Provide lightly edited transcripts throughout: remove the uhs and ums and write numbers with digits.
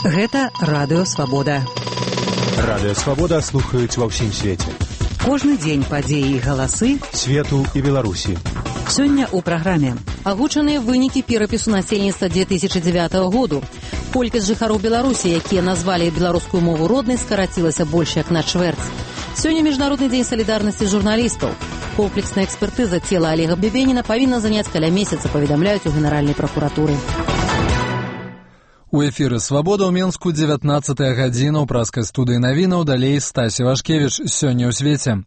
Гэта Радыё Свабода. Радыё Свабода слухаюць ва ўсім свеце. Кожны дзень падзеі і галасы свету і Беларусі. Сёння ў праграме агучаныя вынікі перапісу насельніцтва 2009 году. Колькасць жыхароў Беларусі, якія назвалі беларускую мову роднай, скарацілася больш як на чвэрць. Сёння міжнародны дзень салідарнасці журналістаў. Комплексная экспертыза цела Олега Бебеніна павінна заняць каля месяца, паведамляюць у Генеральнай пракуратуры. У эфіры «Свабода» ў Менску 19-я гадзіна ў праскай студыі навінаў, далей Стасі Вашкевіч. Сёння ў свеце.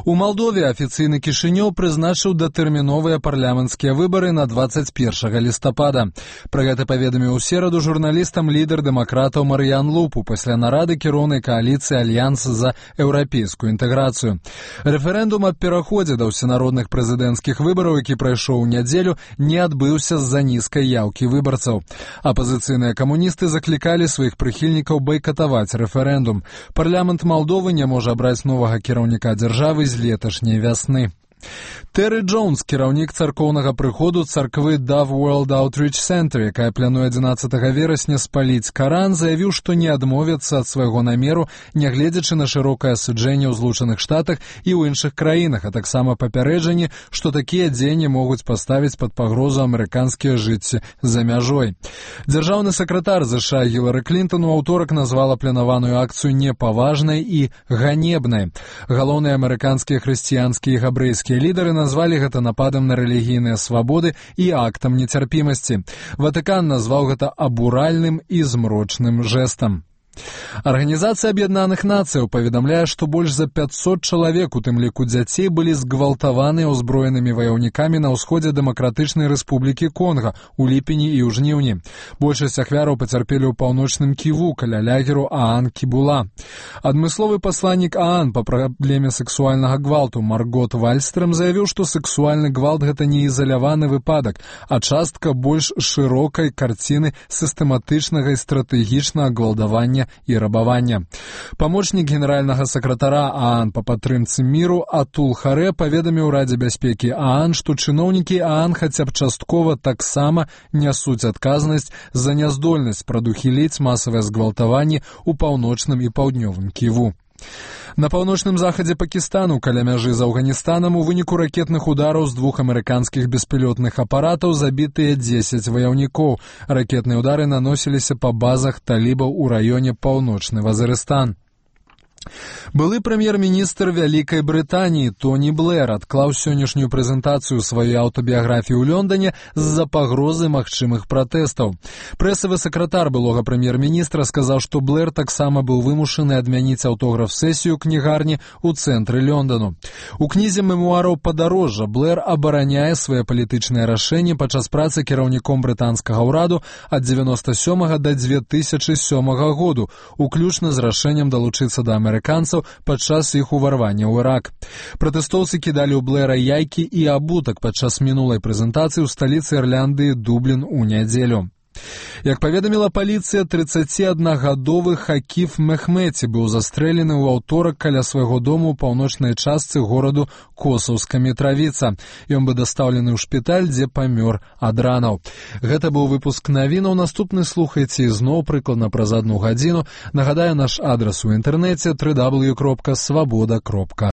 У Малдове афіцыйны Кішынёў прызначыў датэрміновыя парламенцкія выбары на 21 лістапада. Пра гэта паведаміў у сераду журналістам лідар дэмакратаў Марыян Лупу пасля нарады кіроўнай кааліцыі «Альянс за еўрапейскую інтэграцыю». Рэферэндум аб пераходзе да ўсенародных прэзідэнцкіх выбараў, які прайшоў у нядзелю, не адбыўся з-за нізкай яўкі выбарцаў. Апазіцыйныя камуністы заклікалі сваіх прыхільнікаў байкатаваць рэферэндум. Парламент Малдовы не можа абраць новага кіраўніка дзяржавы з леташняй вясны. Тэры Джонс, кіраўнік царкоўнага прыходу царквы Dove World Outreach Center, якая плануе 11 верасня спаліць Каран, заявіў, што не адмовяцца ад свайго намеру, нягледзячы на шырокае асуджэнне ў Злучаных Штатах і ў іншых краінах, а таксама папярэджанне, што такія дзеянні могуць паставіць пад пагрозу амерыканскія жыцці за мяжой. Дзяржаўны сакратар ЗША Гілары Клінтон у аўторак назвала планаваную акцыю непаважнай і ганебнай. Галоўныя амерыканскія хрысціянскія і габрэйскія лідары назвалі гэта нападам на рэлігійныя свабоды і актам нецярпімасці. Ватыкан назваў гэта абуральным і змрочным жэстам. Арганізацыя Аб'яднаных Нацыяў паведамляе, што больш за 500 чалавек, у тым ліку дзяцей, былі згвалтаваны ўзброенымі ваяўнікамі на ўсходзе Дэмакратычнай Рэспублікі Конга ў ліпені і ў жніўні. Большасць ахвяраў пацярпелі ў паўночным Ківу, каля лагеру Аан Кібула. Адмысловы пасланнік Аан па праблеме сексуальнага гвалту Маргот Вальстрам заявіў, што сексуальны гвалт – гэта не ізаляваны выпадак, а частка больш шырокай карціны сістэматычнага і стратэгічнага гвалтавання і рабавання. Памочнік генеральнага сакратара Аан па падтрымцы міру Атул Харэ паведаміў Радзе бяспекі Аан, што чыноўнікі Аан хаця б часткова таксама нясуць адказнасць за няздольнасць прадухіліць масавыя згвалтаванні ў паўночным і паўднёвым Ківу. На паўночным захадзе Пакістану, каля мяжы з Афганістанам, у выніку ракетных удараў з 2 амерыканскіх беспілотных апаратаў забітыя 10 ваяўнікоў. Ракетныя удары наносіліся па базах талібаў у раёне Паўночны Вазырыстан. Былы прэм'ер-міністр Вялікай Брытаніі Тоні Блэр адклаў сённяшнюю прэзентацыю сваёй аўтабіяграфіі ў Лондоне з-за пагрозы магчымых пратэстаў. Прэсавы сакратар былога прэм'ер-міністра сказаў, што Блэр таксама быў вымушаны адмяніць аўтограф-сесію кнігарні ў цэнтры Лондану. У кнізе мемуараў «Падарожжа» Блэр абараняе свае палітычныя рашэнні падчас працы кіраўніком брытанскага ўраду ад 97 да 2007 году, уключна з рашэннем далучыцца да амерыканцаў падчас іх уварвання ў Ірак. Пратэстоўцы кідалі ў Блэра яйкі і абутак падчас мінулай прэзентацыі ў сталіцы Ірландыі Дублін у нядзелю. Як паведаміла паліцыя, 31-гадовы Хакіф Мехметі быў застрэлены ў аўторак каля свайго дому ў паўночнай частцы гораду Косаўска Мітравіца. Ён быў дастаўлены ў шпіталь, дзе памёр ад ранаў. Гэта быў выпуск навінаў. Наступны слухайце ізноў прыкладна праз 1 гадзіну. Нагадаю, наш адрас у інтэрнэце www.swaboda.ru.